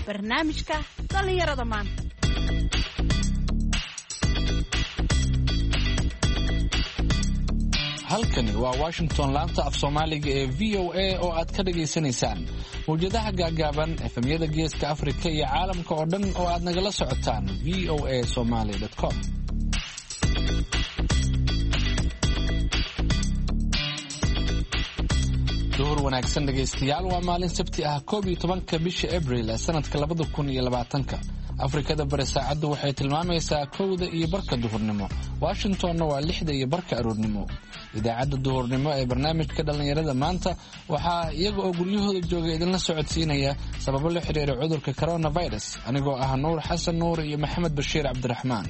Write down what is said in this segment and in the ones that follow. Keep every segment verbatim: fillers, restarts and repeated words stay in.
Barnaamijka dhallinyarada maanta. Halkani waa Washington, laanta af Soomaaliga ee V O A oo aad ka dhagaysanaysaan mawjadaha gaagaaban, efemyada Geeska Afrika iyo caalamka oo dhan oo aad nagala socotaan V O A somaly com. Duhur wanaagsan dhegaystayaal, waa maalin Sabti ah, koob iyo tobanka bisha Abril ee sanadka labada kun iyo labaatanka. Afrikada Bari saacaddu waxay tilmaamaysaa kowda iyo barka duhurnimo, Washingtonna waa lixda iyo barka aroornimo. Idaacadda duhurnimo ee barnaamijka dhallinyarada maanta waxaa iyaga oo guryahooda jooga idinla socodsiinaya, sababo la xiriira cudurka coronavirus, anigoo ah Nuur Xasan Nuur iyo Maxamed Bashiir Cabdiraxmaan.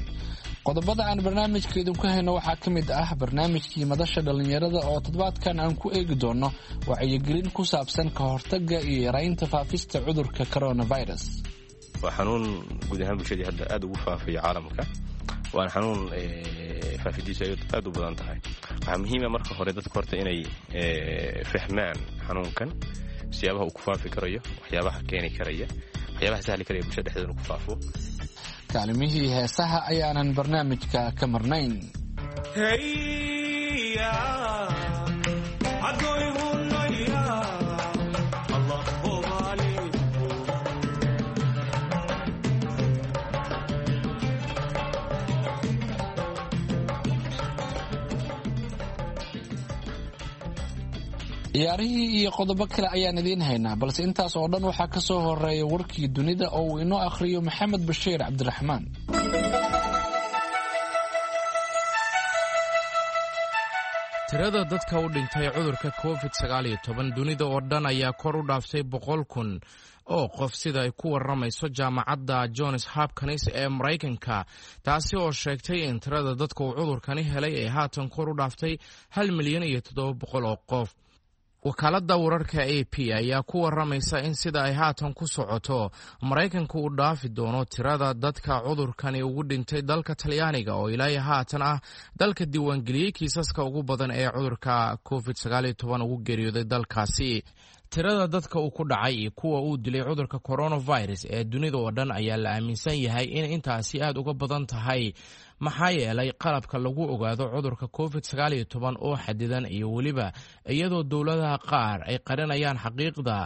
Qodobada aan barnaamijka idinku hayno waxaa ka mid ah barnaamijkii madasha dhallinyarada oo toddobaadkan aan ku eegi doono wacyigelin ku saabsan ka hortagga iyo yaraynta faafista cudurka coronavirus. Waa xanuun guud ahaan bulshadii hadda aad ugu faafayo caalamka, waana xanuun faafidiisu ay aad u badan tahay. Waxaa muhiima marka hore dadka horta inay fahmaan xanuunkan, siyaabaha uu ku faafi karayo, waxyaabaha keeni karaya, waxyaabaha sahli karaya bulshada dhexdeeda inuu ku faafo. Kaalimihii heesaha ayaanan barnaamijka ka marnayn. Ciyaarihii iyo qodobo kale ayaan idiin haynaa, balse intaas oo dhan waxaa ka soo horeeya warkii dunida oo uu inoo akhriyo Maxamed Bashiir Cabdiraxmaan. Tirada dadka u dhintay cudurka covid sagaal iyo toban dunida oo dhan ayaa kor u dhaaftay boqol kun oo qof, sida ay ku warramayso jaamacadda Johns Hopkins ee Maraykanka, taasi oo sheegtay in tirada dadka uu cudurkani helay ay haatan kor u dhaaftay hal milyan iyo toddoba boqol oo qof. Wakaaladda wararka A P ayaa ku warramaysa in sida ay haatan ku socoto Maraykanku uu dhaafi doono tirada dadka cudurkani ugu dhintay dalka Talyaaniga, oo ilaa haatan ah dalka diiwaangeliyey kiisaska ugu badan ee cudurka covid sagaal iyo toban ugu geeriyooday dalkaasi. Tirada dadka uu ku dhacay iyo kuwa uu dilay cudurka coronavirus ee dunida oo dhan ayaa la aaminsan yahay in intaasi aad uga badan tahay, maxaa yeelay qalabka lagu ogaado cudurka covid sagaal iyo toban oo xadidan, iyo weliba iyadoo dowladaha qaar ay qarinayaan xaqiiqda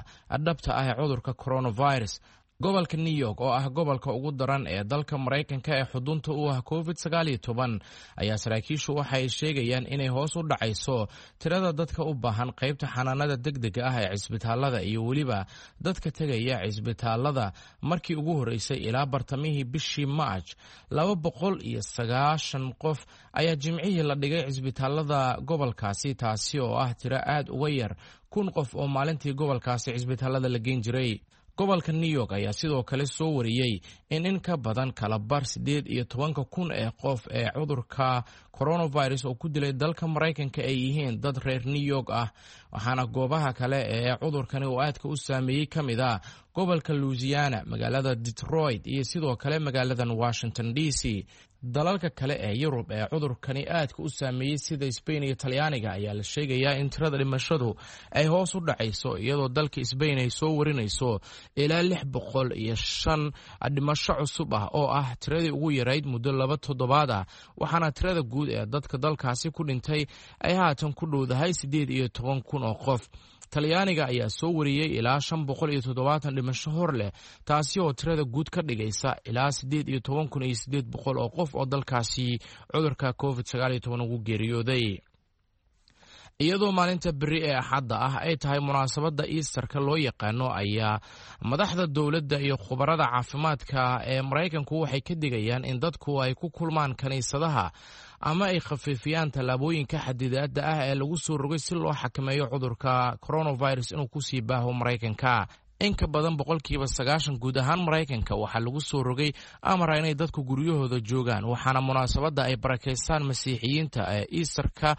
dhabta ah ee cudurka coronavirus. Gobolka New York, oo ah gobolka ugu daran ee dalka Maraykanka ee xudunta u ah covid sagaal iyo toban, ayaa saraakiishu waxa ay sheegayaan inay hoos u dhacayso tirada dadka u baahan qaybta xanaanada degdega ah ee cisbitaalada iyo weliba dadka tegaya cisbitaalada. Markii ugu horreysay ilaa bartamihii bishii Maaj, laba boqol iyo sagaashan qof ayaa Jimcihii la dhigay cisbitaalada gobolkaasi, taasi oo ah tiro aad uga yar kun qof oo maalintii gobolkaasi cisbitaalada la geen jiray. Gobolka New York ayaa sidoo kale soo wariyey in in ka badan kala bar siddeed iyo tobanka kun ee qof ee cudurka coronavirus oo ku dilay dalka Maraykanka ay yihiin dad reer New York ah. Waxaana goobaha kale ee cudurkani uu aadka u saameeyey ka mid ah gobolka Louisiana, magaalada Detroit iyo sidoo kale magaaladan Washington D C. Dalalka kale ee Yurub ee cudurkani aadka u saameeyey, sida Sbain iyo Talyaaniga, ayaa la sheegayaa in tirada dhimashadu ay hoos u dhacayso, iyadoo dalka Sbain ay soo warinayso ilaa lix boqol iyo shan dhimasho cusub ah, oo ah tiradii ugu yarayd muddo laba toddobaad ah, waxaana tirada guud ee dadka dalkaasi ku dhintay ay haatan ku dhowdahay siddeed iyo toban kun oo qof. Talyaaniga ayaa soo wariyey ilaa shan boqol iyo toddobaatan dhimasho hor leh, taasi oo tirada guud ka dhigaysa ilaa siddeed iyo toban kun iyo siddeed boqol oo qof oo dalkaasi cudurka covid sagaal iyo toban ugu geeriyooday. Iyadoo maalinta beri ee Axadda ah ay tahay munaasabadda Easterka loo yaqaano, ayaa madaxda dowladda iyo khubarada caafimaadka ee Maraykanku waxay ka digayaan in dadku ay ku kulmaan kiniisadaha ama ay khafiifiyaan tallaabooyinka xadidaadda ah ee lagu soo rogay si loo xakameeyo cudurka coronavirus inuu kusii baaho Maraykanka. In ka badan boqolkiiba sagaashan guud ahaan Maraykanka waxaa lagu soo rogay amara inay dadku guryahooda joogaan, waxaana munaasabadda ay barakeystaan Masiixiyiinta ee Easterka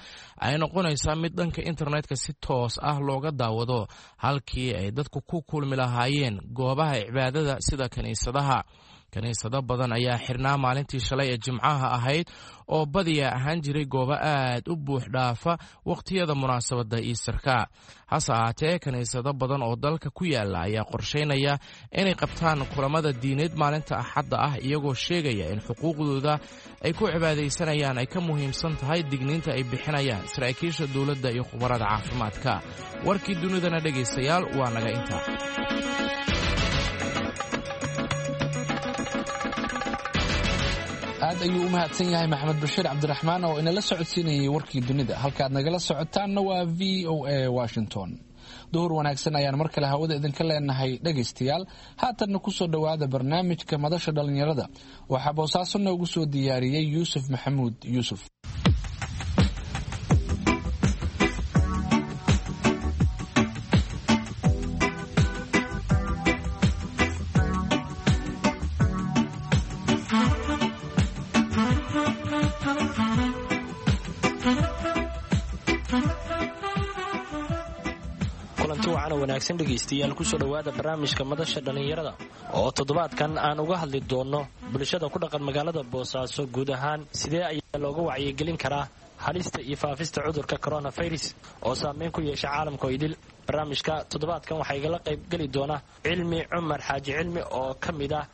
ay noqonaysaa mid dhanka internetka si toos ah looga daawado, halkii ay dadku ku kulmi lahaayeen goobaha cibaadada sida kiniisadaha. Kiniisado badan ayaa xirnaa maalintii shalay ee Jimcaha ahayd oo badiya ahaan jiray goobo aad u buux dhaafa wakhtiyada munaasabadda Iistarka. Hase ahaatee, kiniisado badan oo dalka ku yaala ayaa qorshaynaya inay qabtaan kulamada diineed maalinta Axadda ah, iyagoo sheegaya in xuquuqdooda ay ku cibaadaysanayaan ay ka muhiimsan tahay digniinta ay bixinayaan saraakiisha dowladda iyo khubarada caafimaadka. Warkii dunidana, dhegaystayaal, waa naga intaa. Aad ayuu u mahadsan yahay Maxamed Bashiir Cabdiraxmaan oo inala socodsiinayay warkii dunida. Halkaad nagala socotaanna waa V O A Washington. Duhur wanaagsan ayaan mar kale hawada idinka leenahay, dhegaystayaal. Haatanna kusoo dhowaada barnaamijka Madasha Dhallinyarada. Waxaa Boosaaso noogu soo diyaariyey Yuusuf Maxamuud Yuusuf. Kulanti wacan oo wanaagsan, dhegaystayaal. Kusoo dhowaada barnaamijka Madasha Dhallinyarada oo toddobaadkan aan uga hadli doonno bulshada ku dhaqan magaalada Boosaaso guud ahaan sidee ayaa looga wacyigelin karaa halista iyo faafista cudurka coronavirus oo saameyn ku yeesha caalamka oo idil. Barnaamijka toddobaadkan waxaa igala qaybgeli doona Cilmi Cumar Xaaji Cilmi oo ka mid ah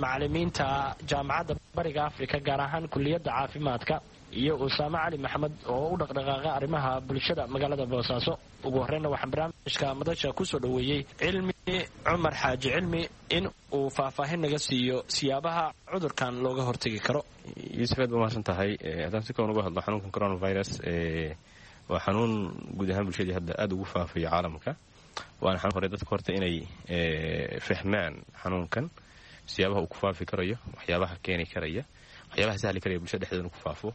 macalimiinta Jaamacadda Bariga Afrika, gaar ahaan kuliyadda caafimaadka, iyo Usaame Cali Maxamed oo u dhaqdhaqaaqa arrimaha bulshada magaalada Boosaaso. Ugu horreynna waxaan barnaamijka Madasha kusoo dhoweeyey Cilmi Cumar Xaaji Cilmi in uu faahfaahin naga siiyo siyaabaha cudurkan looga hortegi karo. Yuusuf, aad ba mahadsan tahay. Haddaan si kooban uga hadlo xanuunkan coronavirus, waa xanuun guud ahaan bulshadii hadda aada ugu faafayo caalamka. Waana xanuun hore dadka horta inay fahmaan xanuunkan, siyaabaha uu ku faafi karayo, waxyaabaha keeni karaya, waxyaabaha sahli karaya bulshada dhexdeeda inuu ku faafo.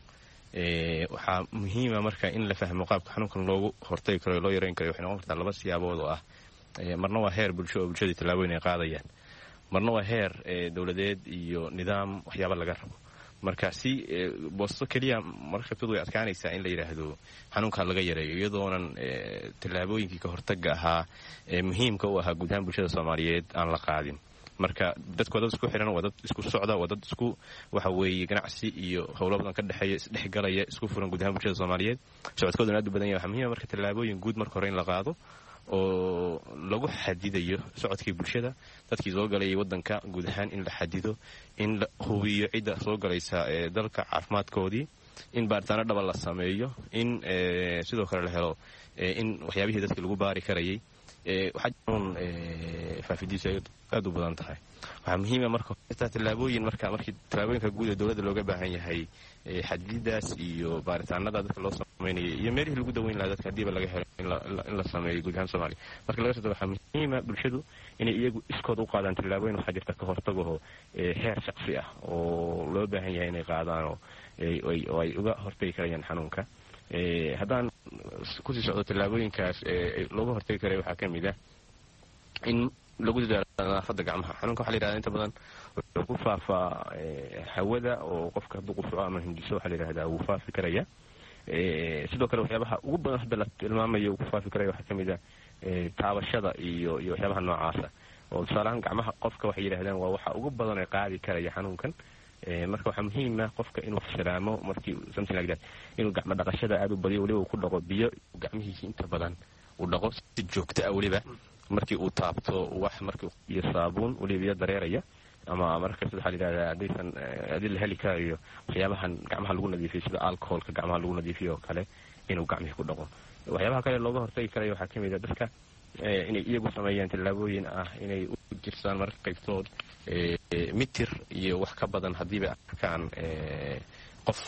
Waxaa muhiima marka in la fahmo qaabka xanuunkan loogu hortagi karo, loo yareyn karayo. Waxay noqon kartaa laba siyaabood oo ah: marna waa heer bulsho oo bulshadii tallaabooyin ay qaadayaan, marna waa heer dowladeed iyo nidaam waxyaaba laga rabo. Marka si Boosto keliya marka qaybtood way adkaanaysaa in la yidhaahdo xanuunkaa laga yareeyo iyadoonan tallaabooyinkii ka hortagga ahaa ee muhiimka u ahaa guud ahaan bulshada Soomaaliyeed aan la qaadin. Marka dadku waa dad isku xiran, waa dad isku socda, waa dad isku waxa weeye ganacsi iyo howlo badan ka dhexeeya, isdhexgalaya, isku furan guud ahaan bulshada Soomaaliyeed, socodkoodana aad u badan yahay. Waxaa muhiima marka tallaabooyin guud marka hore in la qaado oo lagu xadidayo socodkii bulshada, dadkii soo galayay waddanka guud ahaan in la xadido, in la hubiyo cidda soo galaysa ee dalka caafimaadkoodii, in baaritaano dhaba la sameeyo, in sidoo kale la helo in waxyaabihii dadkii lagu baari karayay. Waxaa faafidiisu ay aad u badan tahay. Waxaa muhiima marka tallaabooyin marka markii tallaabooyinka guud ee dowladda looga baahan yahay, xadidaas iyo baaritaanada dadka loo sameynaya iyo meelihii lagu daweyn lahaa dadka haddiiba laga helo in la sameeyo guud ahaan Soomaaliya marka laga soo tago, waxaa muhiima bulshadu inay iyagu iskood u qaadaan tallaabooyin. Waxaa jirta ka hortagaho heer shaqsi ah oo loo baahan yahay inay qaadaan oo ay uga hortagi karayaan xanuunka. Haddaan kusii socdo tallaabooyinkaas looga hortagi karaya, waxaa ka mid ah in lagu dadaalo nadaafadda gacmaha. Xanuunka waxa la yihahda inta badan wuxuu ku faafaa hawada, oo qofka hadduu qufuco ama hindiso, waxaa la yihahdaa wuu faafi karaya. Sidoo kale waxyaabaha ugu badan hadda la tilmaamayo uu ku faafi karaya waxaa ka mid ah taabashada iyo iyo waxyaabaha noocaasa, oo tusaalahaan gacmaha qofka waxay yidhahdaan waa waxa ugu badan ee qaadi karaya xanuunkan. Marka waxaa muhiima qofka inuu salaamo markii, something like that, inuu gacmo dhaqashada aada u badiyo, weliba uu ku dhaqo biyo, gacmihiisa inta badan uu dhaqo si joogto ah, weliba markii uu taabto wax markii, iyo saabuun weliba biyo dareeraya, ama marka waxaa la yidhahdaa haddaysan haddii la heli karayo waxyaabahan gacmaha lagu nadiifiyo, sida alcoholka gacmaha lagu nadiifiyo oo kale, inuu gacmihii ku dhaqo. Waxyaabaha kale looga hortagi karayo waxaa ka mid ah dadka inay iyagu sameeyaan tallaabooyin ah inay u jirsaan mararka qaybtood mitir iyo wax ka badan haddiiba arkaan qof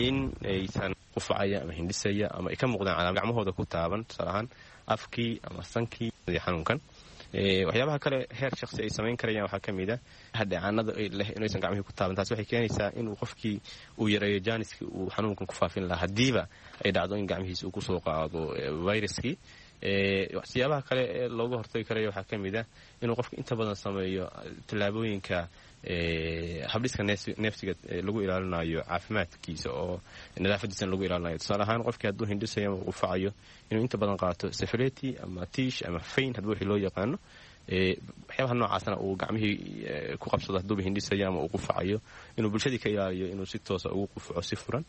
in aysan qufacaya ama hindhisaya ama ay ka muuqdaan calaam gacmahooda ku taaban, tusaale ahaan afkii ama sankii xanuunkan. Waxyaabaha kale heer shaksi ay samayn karayaan waxaa ka mid ah hadheecaanada leh inaysan gacmihii ku taaban. Taasi waxay keenaysaa inuu qofkii uu yareeyo jaaniskii uu xanuunkan ku faafin lahaa haddiiba ay dhacdo in gacmihiisa uu kusoo qaado viruskii. Siyaabaha kale ee looga hortagi karayo waxaa ka mid ah inuu qofka inta badan sameeyo tallaabooyinka habdhiska neefsiga lagu ilaalinayo caafimaadkiisa oo nadaafadiisana lagu ilaalinayo. Tusaale ahaan qofkii hadduu hindhisayo ama qufacayo, inuu inta badan qaato safreti ama tiish ama fayn hadba wixii loo yaqaano, Waxyaabaha noocaasna uu gacmihii ku qabsado hadduuba hindhisayo ama uu qufacayo, inuu bulshadii ka ilaaliyo inuu si toosa ugu qufaco si furan.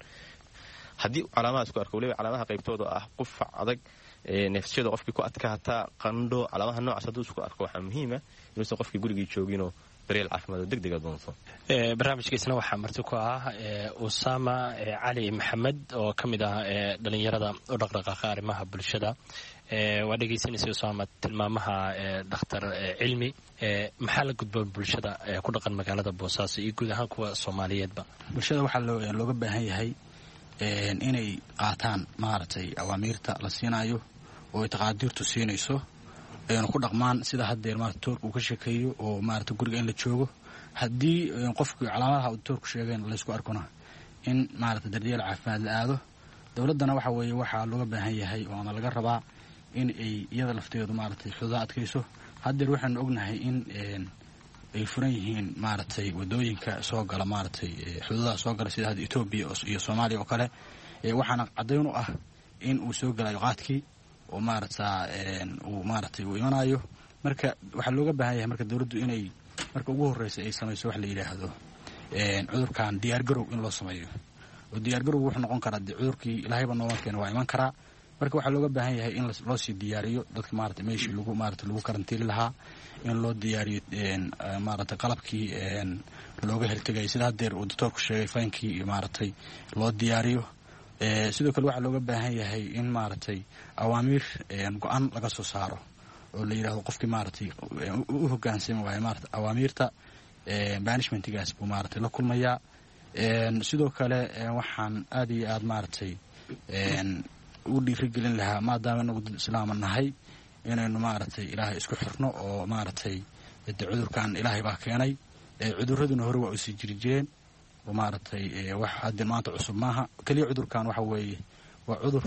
Haddii calaamadaas ku arko, waliba calaamadaha qaybtooda ah qufac adag, neefsashada qofkii ku adkaataa, qandho, calaamadaha noocaas hadduu isku arko, waxaa muhiima inuusan qofkii gurigii jooginoo daryeel caafimaad oo degdega doonto. Barnaamijkiisna waxaa marti ku ah Usaama Cali Maxamed oo ka mid ah dhalinyarada u dhaqdhaqaaqa arrimaha bulshada. Waa dhegeysanaysa Usaama tilmaamaha dhakhtar Cilmi. Maxaa la gudboon bulshada ku dhaqan magaalada Boosaaso iyo guud ahaan kuwa Soomaaliyeedba? Bulshada waxaa looga baahan yahay inay qaataan maaragtay awaamiirta la siinayo oo ay taqaadiirtu siinayso, ayna ku dhaqmaan sida haddeer maarata toorka uu ka sheekeeyo oo maarata guriga in la joogo. Haddii qofkii calaamadaha uu toorku sheegeen laysku arkona, in maarata daryeel caafimaad la aado. Dowladdana waxa weeye waxaa looga baahan yahay oo ama laga rabaa in ay iyada lafteedu maaragtay xuduudaha adkayso. Haddeer waxaanu ognahay in ay furan yihiin maaragtay wadooyinka soo gala, maaragtay xuduudaha soo gala, sida hadda Etoobiya iyo Soomaaliya oo kale. Waxaana caddayn u ah in uu soo gelayo qaadkii oo maaragta uu maaragtay uu imanayo. Marka waxaa looga baahan yahay marka dowladdu inay marka ugu horreysa ay samayso wax la yidhaahdo cudurkan diyaargarow in loo sameeyo, oo diyaargarowgu wuxuu noqon karaa dee cudurkii ilaahayba nooma keena, waa iman karaa. Marka waxaa looga baahan yahay in loo sii diyaariyo dadka maarata meeshii lagu maarata lagu karantiili lahaa, in loo diyaariyo maarata qalabkii looga hortegayay, sida haddeer uu doctoorku sheegay, faynkii iyo maaragtay loo diyaariyo. Sidoo kale waxaa looga baahan yahay in maaragtay awaamiir go-an laga soo saaro oo la yidhahdo qofkii maaragtay u hogaansami waayo maarata awaamiirta, banishmentigaas buu maaragtay la kulmayaa. Sidoo kale waxaan aad iyo aad maaragtay u dhiirigelin lahaa, maadaama inagu dad islaama nahay, inaynu maaragtay ilaahay isku xirno oo maaragtay de cudurkan ilaahay baa keenay, cuduraduna hore waa usii jiri jireen oo maaragtay wax hadda maanta cusub maaha. Keliya cudurkan waxa weeye waa cudur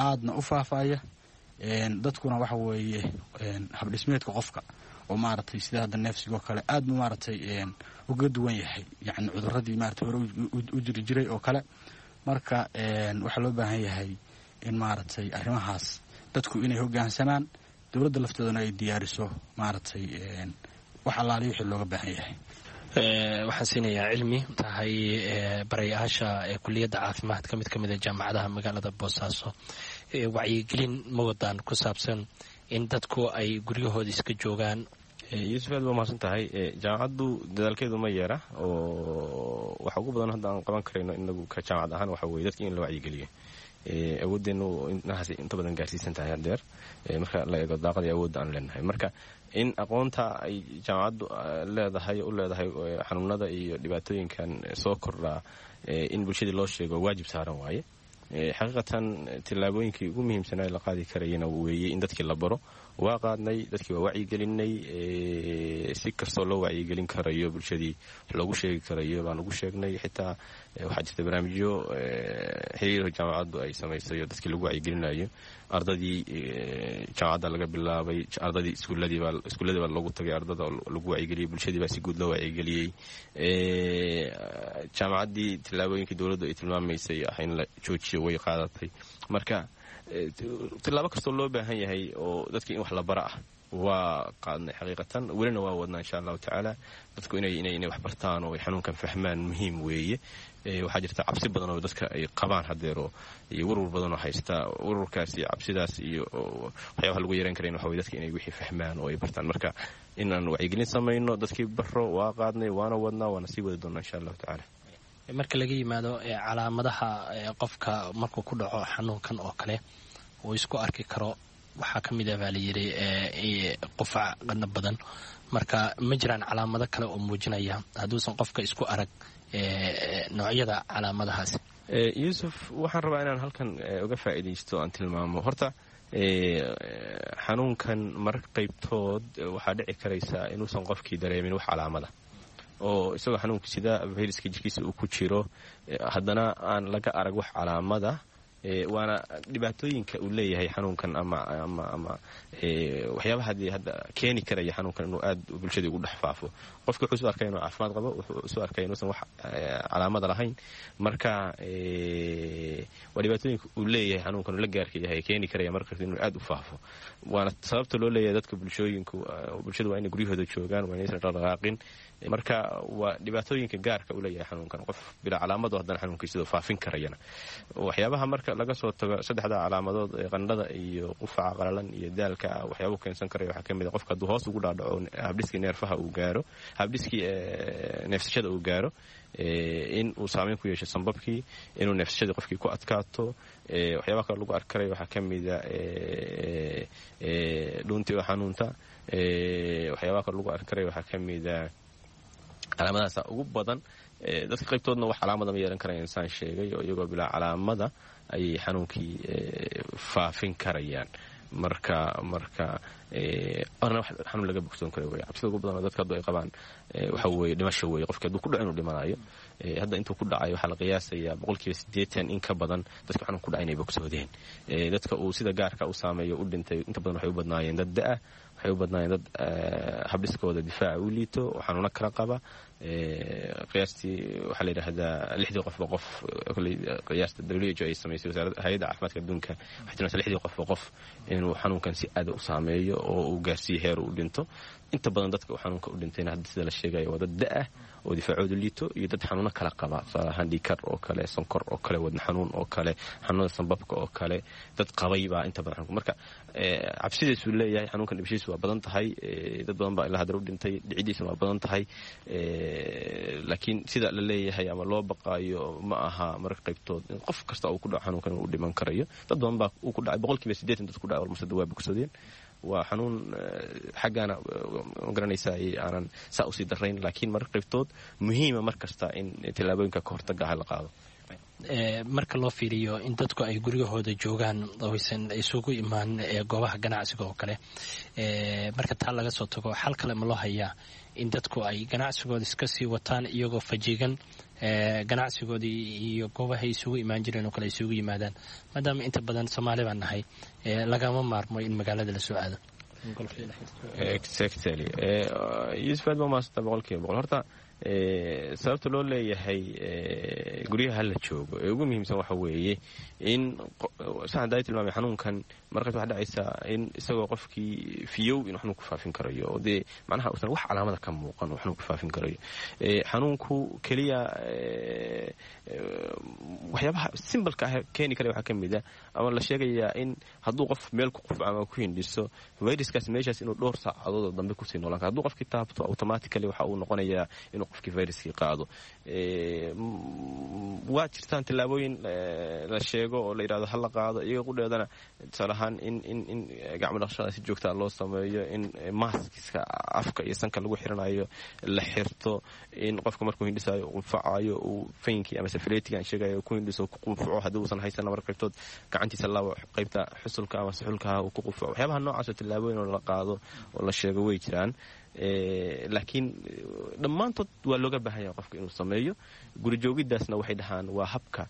aadna u faafaya, dadkuna waxa weeye habdhismeedka qofka oo maaragtay sida hadda neefsigoo kale aad bu maaragtay uga duwan yahay, yacni cuduradii maaragtay hore u jiri jiray oo kale. Marka waxaa loo baahan yahay in maaragtay arrimahaas dadku inay hoggaansamaan, dowladda lafteeduna ay diyaariso maaragtay wax allaaliyo wixii looga baahan yahay. Waxaan siinayaa Cilmi tahay barayaasha kuliyadda caafimaadka mid ka mid a jaamacadaha magaalada Boosaaso. Wacyigelin ma wadaan ku saabsan in dadku ay guryahooda iska joogaan? Yuusuf, aad baa mahadsan tahay. Jaamacaddu dadaalkeedu ma yeera, oo waxa ugu badan hadda aan qaban karayno inagu ka jaamacad ahaan waxa weye dadki in la wacyigeliyo. Awooddeenu inahaas inta badan gaarsiisan tahay haddeer marka la eego daaqadii awoodda aan leenahay. Marka in aqoonta ay jaamacaddu leedahay u leedahay xanuunada iyo dhibaatooyinkan soo kordhaa in bulshadii loo sheego waajib saaran waaye. Xaqiiqatan tillaabooyinkii ugu muhiimsanaa la qaadi karayana weeye in dadkii la baro. Waa qaadnay, dadkii waa wacyigelinay. Si kastoo loo wacyigelin karayo, bulshadii loogu sheegi karayo baan ugu sheegnay. Xitaa waxaa jirta barnaamijyo xiriirka jaamacaddu ay samaysay oo dadkii lagu wacyigelinayo. Ardadii jaamacadda laga bilaabay, ardadii iskuulladii baa loogu tagay, ardada lagu wacyigeliyey, bulshadii baa si guud loo wacyigeliyey. Jaamacaddii tillaabooyinkii dowladdu ay tilmaamaysay ah in la joojiyo way qaadatay. Marka tillaabo kastoo loo baahan yahay oo dadkii in wax la bara ah waa qaadnay xaqiiqatan, welina waa wadnaa insha allahu tacaala. Dadku inay inay inay wax bartaan oo ay xanuunkan fahmaan muhiim weeye. Waxaa jirta cabsi badan oo dadka ay qabaan haddeero iyo warwar badan oo haysta. Warwarkaas iyo cabsidaas iyo waxyaabaha lagu yareyn karayn waxa weye dadka inay wixii fahmaan oo ay bartaan. Marka inaan wacyigelin samayno, dadkii baro, waa qaadnay, waana wadnaa, waana sii wadi doonaa insha allahu tacaala. Marka laga yimaado calaamadaha qofka markuu ku dhaco xanuunkan oo kale uu isku arki karo, waxaa ka mid ah baa layidhi qufac, qadna badan. Marka ma jiraan calaamado kale oo muujinaya hadduusan qofka isku arag noocyada calaamadahaasi? Yuusuf, waxaan rabaa inaan halkan uga faa'iidaysto aan tilmaamo horta xanuunkan mararka qaybtood waxaa dhici karaysa inuusan qofkii dareemin wax calaamada, oo isagoo xanuunka sida fayraska jirkiisa uu ku jiro haddana aan laga arag wax calaamada. Waana dhibaatooyinka uu leeyahay xanuunkan ama ama ama waxyaabaha dee hadda keeni karaya xanuunkan inuu aad bulshadii ugu dhex faafo. Qofka wuxuu isu arkaya inuu caafimaad qabo, wuxuu isu arkaya inuusan wax calaamada lahayn. Marka waa dhibaatooyinka uu leeyahay xanuunkan uu la gaarka yahay keeni karaya marka inuu aad u faafo. Waana sababta loo leeyahay dadka bulshooyinku bulshadu waa inay guryahooda joogaan, waa inaysan dhaqdhaqaaqin. Marka waa dhibaatooyinka gaarka uu leeyahay xanuunkan, qof bilaa calaamado haddana xanuunkiisidoo faafin karayana. Waxyaabaha marka laga soo tago saddexda calaamadood ee qandhada iyo qufaca qalalan iyo daalka ah, waxyaabuu keensan karaya waxaa ka mid a qofka hadduu hoos ugu dhaadhaco habdhiskii neerfaha uu gaaro, habdhiskii neefsashada uu gaaro, in uu saameyn ku yeesho sambabkii, inuu neefsashadii qofkii ku adkaato. Waxyaabaha kale lagu arki karaya waxaa ka mida dhuuntii oo xanuunta. Waxyaabaha kale lagu arki karaya waxaa ka mida calaamadahaasa ugu badan. Dadka qaybtoodna wax calaamada ma yeelan karaya, insaan sheegay, oo iyagoo bilaa calaamada ayay xanuunkii faafin karayaan. Marka marka orna wax xanuun laga bogsoon kara wey. Cabsida ugu badan oo dadka haddu ay qabaan waxa weeye dhimasho weeye, qofki hadduu ku dhaco inuu dhimanayo. Hadda intuu ku dhacay waxaa la qiyaasayaa boqolkiiba siddeetan in ka badan dadka xanuun ku dhacay inay bogsoodeen. Dadka uu sida gaarka u saameeyo u dhintay inta badan waxay u badnaayeen dad da-ah, waxay u badnaayeen dad habdhiskooda difaaca u liito oo xanuuno kala qaba. Qiyaastii waxaa la yidhaahdaa lixdii qofba qof, qiyaasta W H O ay samaysay, wasaaradda hay-adda caafimaadka adduunka, waxay tilmaantay lixdii qofba qof inuu xanuunkan si aada u saameeyo oo uu gaarsiiyo heer uu dhinto. Inta badan dadka uu xanuunka u dhintayna hadda sida la sheegayo waa dad da-ah oo difaacoodu liito iyo dad xanuuno kala qaba, tusaale ahaan dhiikar oo kale, sonkor oo kale, wadna xanuun oo kale, xanuunada sanbabka oo kale dad qabay baa inta badan xanuunka. Marka cabsidiisuu leeyahay xanuunkan, dhibashiisu waa badan tahay, dad badan baa ilaa haddana u dhintay, dhicidiisuna waa badan tahay. Laakiin sida la leeyahay ama loo baqaayo ma aha marka qaybtood in qof kasta uu ku dhaco xanuunkan uu dhiman karayo. Dad badan baa uu ku dhacay, boqolkiiba siddeetan dad ku dhacay walmasada waa bogsadeen. Waa xanuun xaggaana ma garanaysaa aanan saa usii darayn, laakiin marka qaybtood muhiima mar kasta in tillaabooyinka ka hortaga ah la qaado. Marka loo fiiriyo in dadku ay guryahooda joogaan oysan isugu imaan goobaha ganacsiga oo kale, marka taa laga soo tago, xal kale ma loo hayaa in dadku ay ganacsigooda iska sii wataan iyagoo fajigan, ganacsigoodii iyo goobahay isugu imaan jireen oo kale isugu yimaadaan, maadaama inta badan Soomaali baan nahay lagama maarmo in magaalada lasoo aado? Exactly, Yuusuf, aad baa umahadsanta boqolkiiba boqol. Horta sababta loo leeyahay guryaha hala joogo ee ugu muhiimsan waxa weeye in saxan daay tilmaamay xanuunkan markaas waxaa dhacaysaa in isagoo qofkii fiyow inuu xanuun ku faafin karayo, oo dee macnaha uusan wax calaamada ka muuqan uu xanuun ku faafin karayo. Xanuunku keliya waxyaabaha simbalka ah keeni karaya waxaa ka mid a ama la sheegayaa in hadduu qof meel ku qufco ama ku hindhiso, viruskaas meeshaas inuu dhowr saacadood oo dambe kusii noolaan karo. Hadduu qofkii taabto, automatically waxa uu noqonayaa inuu qofkii viruskii qaado. Waa jirtaan tillaabooyin la sheego oo la yidhahdo ha la qaado iyaga qudheedana, tusaale ahaan in in in gacmo dhaqashada si joogtaa loo sameeyo, in maskiska afka iyo sanka lagu xiranayo la xirto, in qofka markuu hindhisayo qunfacayo uu faynkii ama safiletiga aan sheegayo ku hindhiso ku qunfaco, haddii uusan haysan marka qaybtood gacantiisa labo qaybta xusulka ama suxulkaha uu ku qunfaco. Waxyaabaha noocaas oo tillaabooyin oo la qaado oo la sheego way jiraan, laakiin dhammaantood waa looga baahan yahay qofka inuu sameeyo. Guri joogiddaasna waxay dhahaan waa habka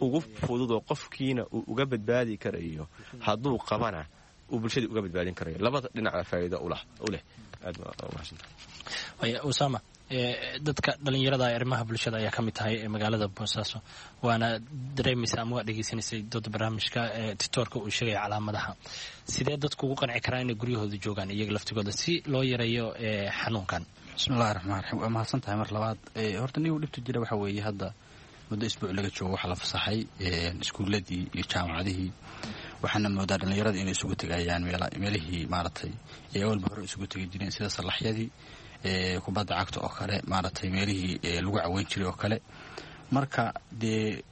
ugu fudud oo qofkiina uu uga badbaadi karayo, hadduu qabana uu bulshadii uga badbaadin karayo. Labada dhinacba faa'iido u leh. Aad baa umahadsantahay. Usama, dadka dhalinyarada ee arrimaha bulshada ayaa ka mid tahay ee magaalada Boosaaso, waana dareemaysa ama waa dhegeysanaysay dooda barnaamijka titoorka uu sheegaya calaamadaha. Sidee dadku ugu qanci karaa inay guryahooda joogaan iyaga laftigooda si loo yareeyo xanuunkan? Bismillahi raxmaan raxiim, waa mahadsan tahay mar labaad. Horta nigu dhibta jira waxaa weeye hadda muddo isbuuc laga joogo waxaa la fasaxay iskuuladii iyo jaamacadihii, waxaana moodaa dhallinyarada inay isugu tegayaan meelihii maaragtay ee awalba hore isugu tegi jireen, sida sallaxyadii kubadda cagta oo kale, maaragtay meelihii lagu caweyn jiray oo kale. Marka dee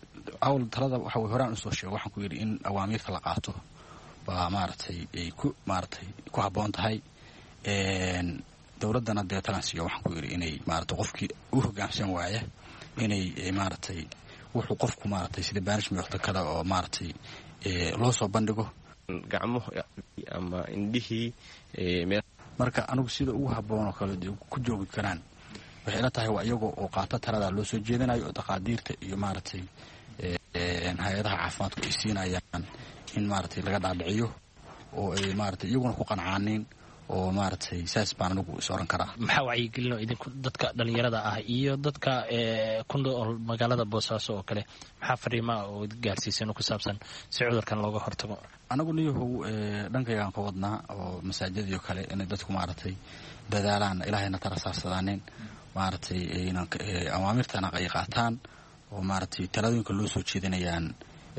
awl talada waxa way horaan usoo sheego, waxaan ku yidhi in awaamiirta la qaato baa maaragtay ay ku maaragtay ku habboon tahay. Dowladdana dee talan siiyo, waxaan ku yidhi inay maaragtay qofkii u hoggaamsan waaya inay maaragtay wuxuu qofku maaragtay sida banishment kale oo maaragtay loo soo bandhigo. Gacmo ama indhihii. Marka anigu sida ugu habboon oo kale ku joogi karaan waxay ila tahay waa iyagoo oo qaato taladaa loo soo jeedinayo oo taqaadiirta iyo maaragtay. hay-adaha caafimaadku ay siinayaan in maaragtay laga dhaadhiciyo oo ay maaragtay iyaguna ku qancaanin oo maaragtay saas baan anigu is oran karaa. Maxaa wacyigelin oo idinku dadka dhallinyarada ah iyo dadka ku nool magaalada Boosaaso oo kale, maxaa fariimaa oo gaarsiiseen oo ku saabsan si cudurkan looga hortago? Anagu niyahow dhankaygaan ka wadnaa oo masaajidii oo kale inay dadku maaragtay dadaalaan, ilaahayna tala saarsadaanin, maaragtay awaamirtana ay qaataan oo maaragtay talooyinka loo soo jeedinayaan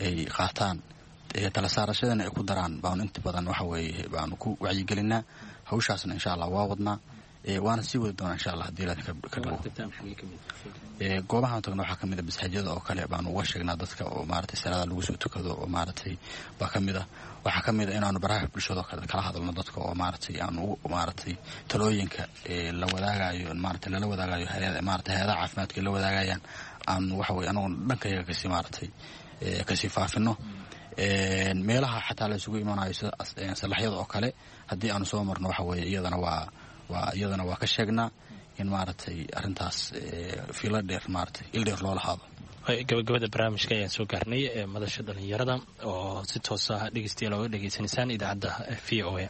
ay qaataan, tala saarashadana ay ku daraan baanu inta badan waxa weeye baanu ku wacyigelinaa. Hawshaasna insha allah waa wadnaa, waana sii wadi doonaa insha allah hadii ilaah ka dhigo. Goobahaan tagno waxaa kamid a masaajidada oo kale baanu uga sheegnaa dadka oo maaragtay salaada lagu soo tukado oo maaragtay baa ka mid ah. Waxaa ka mid a inaanu baraha bulshada oo kale kala hadalno dadka oo maaragtay aanu maaragtay talooyinka la wadaagayo maaragtay lala wadaagayo hay-ada maaragtay hay-adaha caafimaadka la wadaagayaan aanu waxa weye anagu dhankayaga kasii maaragtay kasii faafino. Meelaha xataa la isugu imanayo sida salaxyada oo kale haddii aanu soo marno waxa weeye iyadana waa waa iyadana waa ka sheegnaa in maaragtay arrintaas fiilo dheer maaragtay il dheer loo lahaado. Gabagabada barnaamijka ayaan soo gaarnay ee madasha dhallinyarada oo si toos ah dhegeystayaal ooga dhegeysanaysaan idaacadda V O A.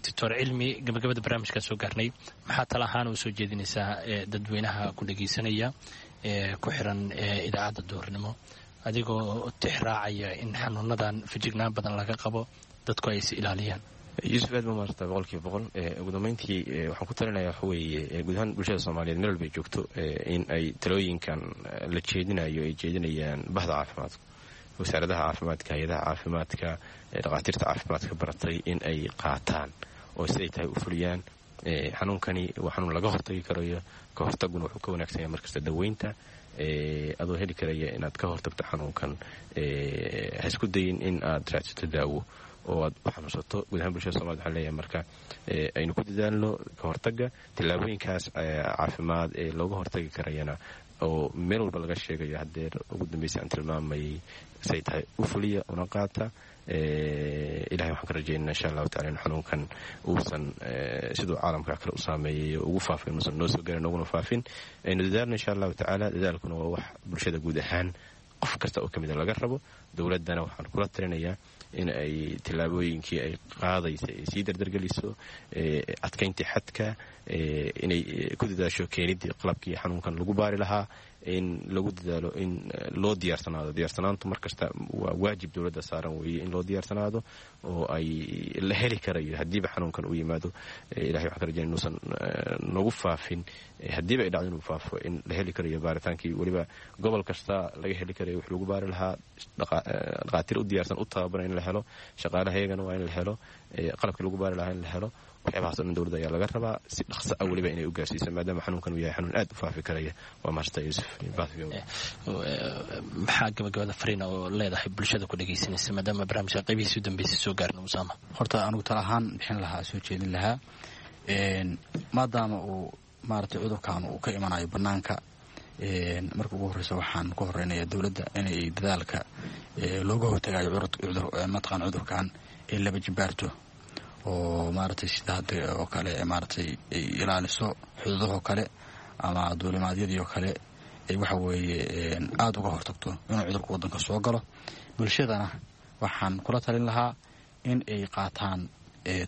Doctor Cilmi, gabagabada barnaamijkaan soo gaarnay, maxaa tala ahaan u soo jeedinaysaa dadweynaha ku dhegeysanaya ee ku xiran idaacadda duhurnimo, adigoo tixraacaya in xanuunadan fejignaan badan laga qabo, dadku ay is ilaaliyaan? Yuusuf, aad ba maarata boqolkiiba boqol. Ugu dambeyntii waxaan ku talinaya waxa weeye guud ahaan bulshada Soomaaliyeed meel walba ay joogto in ay talooyinkan la jeedinayo ay jeedinayaan bahda caafimaadka, wasaaradaha caafimaadka, hay-adaha caafimaadka, dhakhaatiirta caafimaadka baratay in ay qaataan oo siday tahay u fuliyaan. Xanuunkani waa xanuun laga hortagi karayo, ka hortaguna wuxuu ka wanaagsan yahay markasta daweynta. Adoo heli karaya inaad ka hortagto xanuunkan, ha isku dayin in aad raadsato daawo oo aad u xanuunsato. Guud ahaan bulshada somaliyed waxaan leeyahay marka aynu ku dadaalno ka hortagga tallaabooyinkaas caafimaad ee looga hortagi karayana oo meel walba laga sheegayo. Haddeer ugu dambaysa aan tilmaamayay say tahay u fuliya una qaata. Ilahay waxaan ka rajaynaa insha allahu tacala in xanuunkan uusan siduu caalamka kale u saameeyay ugu faafin, uusan noo soo garin nooguna faafin. Aynu dadaalno insha allahu tacaala. Dadaalkuna waa wax bulshada guud ahaan qof kasta oo ka mida laga rabo. Dowladdana waxaan kula talinayaa in ay tallaabooyinkii ay qaadaysa ay sii dardargeliso, adkayntii xadka, inay ku dadaasho keenidii qalabkii xanuunkan lagu baari lahaa, in lagu dadaalo in loo diyaarsanaado. Diyaarsanaantu mar kasta waa waajib dowladda saaran weeye in loo diyaarsanaado oo ay la heli karayo haddiiba xanuunkan uu yimaado. Ilahay waxaan ka rajaynaya inuusan nagu faafin, haddiiba ay dhacdo inuu faafo in la heli karayo baaritaankii weliba gobol kasta laga heli karayo wax lagu baari lahaa, dhakhaatiir u diyaarsan u tababaran in la helo, shaqaalaha iyagana waa in la helo, qalabkii lagu baari lahaa in la helo. Waxyaabahaas o dhan dowladda ayaa laga rabaa si dhaqso ah weliba inay u gaarsiiso, maadaama xanuunkan uu yahay xanuun aad u faafi karaya. Waa mahadsantahay Yuusuf. Maxaa gabagabada fariina oo leedahay bulshada ku dhegeysanaysa maadaama barnaamijka qaybihiisa u dambeysay soo gaarna, Usaama? Horta anigu tala ahaan bixin lahaa, soo jeedin lahaa, maadaama uu maaragtay cudurkan uu ka imanayo bannaanka, marka ugu horreysa waxaan ku horeynayaa dowladda inay dadaalka looga hortagayo mataqaan cudurkan ay laba jibaarto oo maaragtay sida hadda oo kale maaragtay ay ilaaliso xuduudahoo kale ama duulimaadyadii oo kale, ay waxa weeye aada uga hortagto inuu cudurka waddanka soo galo. Bulshadana waxaan kula talin lahaa in ay qaataan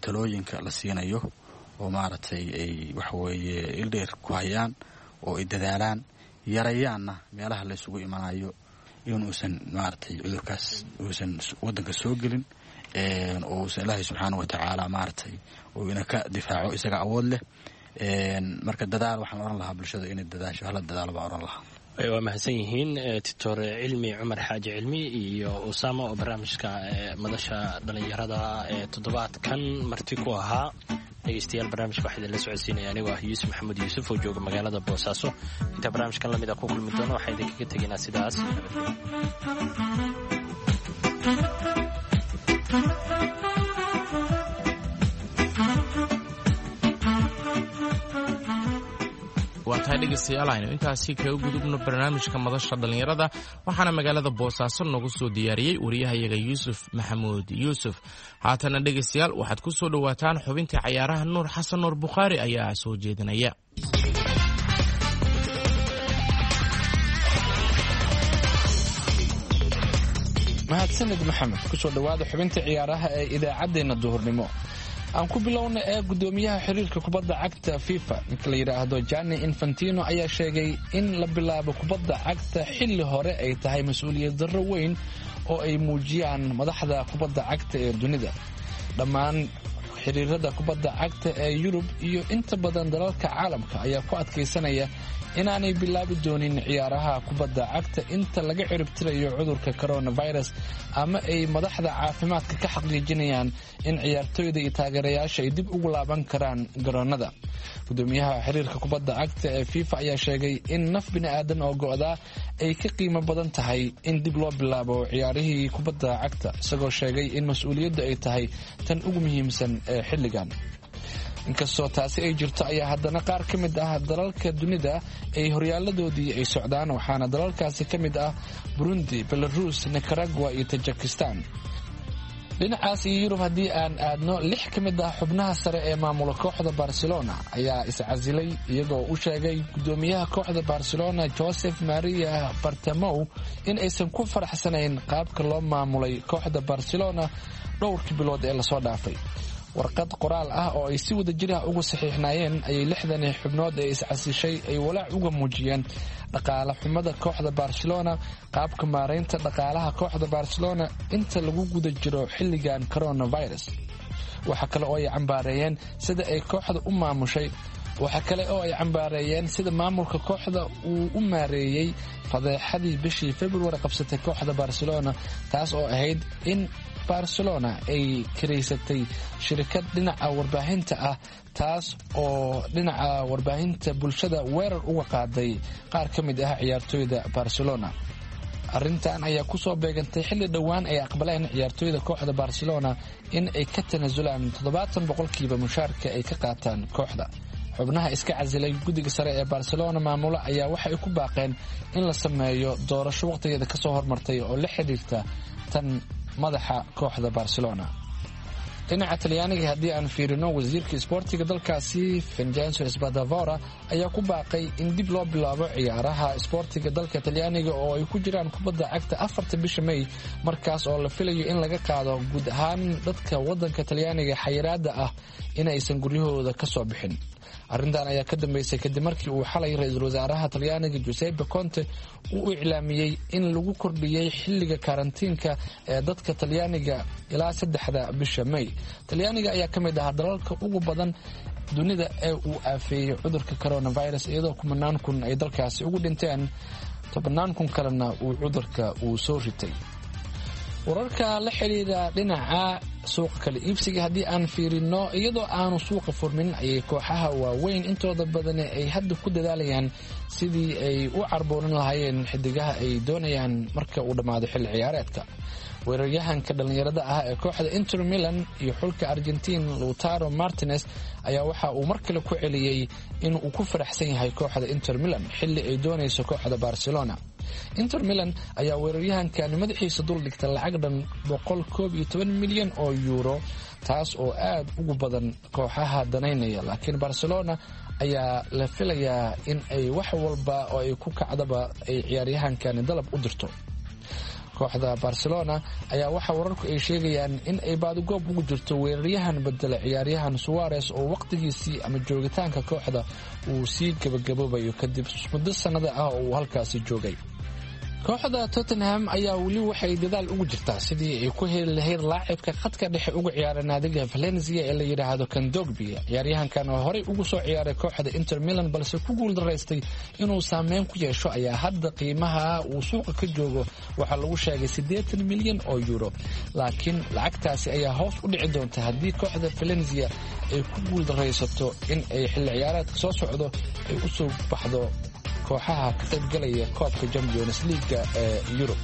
talooyinka la siinayo oo maaragtay ay waxa weeye ildheer ku hayaan oo ay dadaalaan, yarayaanna meelaha la isugu imanayo, inuusan maaragtay cudurkaas uusan waddanka soo gelin oo uusan ilaahay subxaana wa tacaala maaragtay uu ina ka difaaco, isaga awood leh. Marka dadaal waxaan oran lahaa bulshada inay dadaasho, hala dadaalo baan oran lahaa. Waa mahadsan yihiin Doctor Cilmi Cumar Xaaji Cilmi iyo Usaama oo barnaamijka madasha dhallinyarada ee toddobaadkan marti ku ahaa. Dhegeystayaal, barnaamijka waxaa idinla socodsiinaya anigoo ah Yuusuf Maxamuud Yuusuf oo jooga magaalada Boosaaso. Intaa barnaamijkan lamid a ku kulmi doono waxaan idinkaga tegaynaa sidaas nabadgelyo. Waa tahay dhegeystayaal, aynu intaasi kaga gudubno barnaamijka madasha dhallinyarada, waxaana magaalada Boosaaso noogu soo diyaariyey wariyahayaga Yuusuf Maxamuud Yuusuf. Haatana dhegeystayaal waxaad ku soo dhowaataan xubintii cayaaraha. Nuur Xasan Nuur Bukhaari ayaa soo jeedinaya. Mahadsanid Maxamed. Kusoo dhowaada xubinta ciyaaraha ee idaacaddeenna duhurnimo. Aan ku bilowna ee gudoomiyaha xiriirka kubadda cagta FIFA, ninka la yidhaahdo Gianni Infantino, ayaa sheegay in la bilaabo kubadda cagta xilli hore ay tahay mas-uuliyad darro weyn oo ay muujiyaan madaxda kubadda cagta ee dunida. Dhammaan xiriirada kubadda cagta ee Yurub iyo inta badan dalalka caalamka ayaa ku adkaysanaya inaanay bilaabi doonin ciyaaraha kubadda cagta inta laga ciribtirayo cudurka coronavirus, ama ay madaxda caafimaadka ka xaqiijinayaan in ciyaartoyda iyo taageerayaasha ay dib ugu laaban karaan garoonada. Gudoomiyaha xiriirka kubadda cagta ee FIFA ayaa sheegay in naf bini'aadan oo go'daa ay ka qiimo badan tahay in dib loo bilaabo ciyaarihii kubadda cagta, isagoo sheegay in mas-uuliyaddu ay tahay tan ugu muhiimsan ee xilligan. Inkastoo taasi ay jirto ayaa haddana qaar ka mid ah dalalka dunida ay horyaaladoodii ay socdaan, waxaana dalalkaasi ka mid ah Burundi, Belarus, Nicaragua iyo Tajikistan. Dhinacaas iyo Yurub haddii aan aadno, lix ka mid ah xubnaha sare ee maamula kooxda Barcelona ayaa iscasilay, iyagoo u sheegay gudoomiyaha kooxda Barcelona Joseph Maria Bartomeu in aysan ku faraxsanayn qaabka loo maamulay kooxda Barcelona dhowrkii bilood ee lasoo dhaafay. Warqad qoraal ah oo ay si wada jir ah ugu saxiixnaayeen ayay lixdani xubnood ee iscasishay ay walaac uga muujiyeen dhaqaale xumada kooxda Barcelona, qaabka maaraynta dhaqaalaha kooxda Barcelona inta lagu guda jiro xilligan coronavirus. Waxa kale oo ay cambaareeyeen sida ay kooxda u maamushay waxa kale oo ay cambaareeyeen sida maamulka kooxda uu u maareeyey fadeexadii bishii February qabsatay kooxda Barcelona, taas oo ahayd in Barcelona ay kiraysatay shirkad dhinaca warbaahinta ah, taas oo dhinaca warbaahinta bulshada weerar uga qaaday qaar ka mid ah ciyaartoyda Barcelona. Arrintan ayaa kusoo beegantay xilli dhowaan ay aqbaleen ciyaartoyda kooxda Barcelona in ay ka tanaasulaan toddobaatan boqolkiiba mushaarka ay ka qaataan kooxda. Xubnaha iska casilay guddiga sare ee Barcelona maamula ayaa waxay ku baaqeen in la sameeyo doorasho waqtigeeda kasoo hormartay oo la xidhiirta tan madaxa kooxda Barcelona. Dhinaca Talyaaniga haddii aan fiirino, wasiirka isboortiga dalkaasi Vincenzo Spadavora ayaa ku baaqay in dib loo bilaabo ciyaaraha isboortiga dalka Talyaaniga oo ay ku jiraan kubadda cagta afarta bisha May, markaas oo la filayo in laga qaado guud ahaan dadka wadanka Talyaaniga xayiraada ah inaysan guryahooda ka soo bixin. Arrintan ayaa ka dambeysay kadib markii uu xalay ra-iisul wasaaraha Talyaaniga Giuseppe Conte uu iclaamiyey in lagu kordhiyey xilliga karantiinka ee dadka Talyaaniga ilaa saddexda bisha May. Talyaaniga ayaa ka mid ahaa dalalka ugu badan dunida ee uu aafeeyey cudurka coronavirus, iyadoo kumanaan kun ay dalkaasi ugu dhinteen, tobannaan kun kalena uu cudurka uu soo ritay. Wararka la xidhiidha dhinaca suuqa kala iibsiga haddii aan fiirino, iyadoo aanu suuqa furmin ayay kooxaha waaweyn intooda badani ay hadda ku dadaalayaan sidii ay u carboonin lahaayeen xidigaha ay doonayaan marka uu dhammaado xilli ciyaareedka. Weeraryahanka dhallinyarada ah ee kooxda Inter Milan iyo xulka Argentiin Lautaro Martinez ayaa waxa uu mar kale ku celiyey in uu ku faraxsan yahay kooxda Inter Milan xilli ay doonayso kooxda Barcelona. Inter Milan ayaa weeraryahankani madaxiisa dul dhigta lacag dhan boqol koob iyo toban milyan oo yuuro, taas oo aad ugu badan kooxaha danaynaya, laakiin Barcelona ayaa la filayaa in ay wax walba oo ay ku kacdaba ay ciyaaryahankani dalab u dirto. Kooxda Barcelona ayaa waxaa wararku ay sheegayaan in ay baadigoob ugu jirto weeraryahan bedela ciyaaryahan Suarez oo waqtigiisii ama joogitaanka kooxda uu sii gabagaboobayo kadib muddo sannada ah oo uu halkaasi joogay. Kooxda Tottenham ayaa weli waxay dadaal ugu jirtaa sidii ay ku heli lahayd laacibka khadka dhexe uga ciyaara naadiga Valencia ee la yidhaahdo Kandogbi. Ciyaaryahankan oo horey ugu soo ciyaaray kooxda Inter Milan balse ku guuldaraystay inuu saameyn ku yeesho ayaa hadda qiimaha uu suuqa ka joogo waxaa lagu sheegay siddeetan milyan oo euro, laakiin lacagtaasi ayaa hoos u dhici doonta haddii kooxda Valencia ay ku guuldaraysato in ay xilli ciyaareedka soo socdo ay u soo baxdo kooxaha ka qaybgalaya koobka Champions League ee Yurub.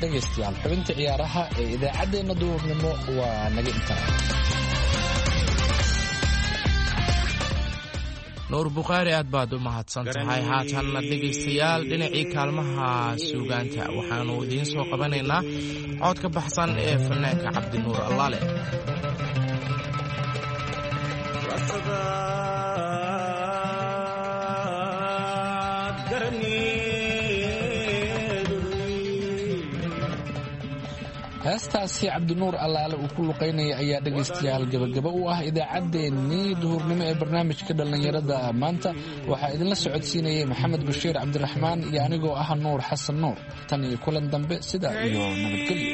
Dhegaystayaal, xubinta ciyaaraha ee idaacaddeenna duhurnimo waa naga intaa. Nuur Bukhaari, aad baad u mahadsan tahay. Haatanna dhegaystayaal, dhinacii kaalmaha suugaanta waxaannu idiin soo qabanaynaa cod ka baxsan ee fanaanka Cabdinuur Allaale. Heestaasi Cabdinuur Allaale uu ku luqaynaya ayaa dhegaystayaal gabagaba u ah idaacaddeenii duhurnimo ee barnaamijka dhallinyarada maanta. Waxaa idinla socodsiinayay Maxamed Bashiir Cabdiraxmaan iyo anigoo ah Nuur Xasan Nuur. Tan iyo kulan dambe, sidaa iyo nabadgelyo.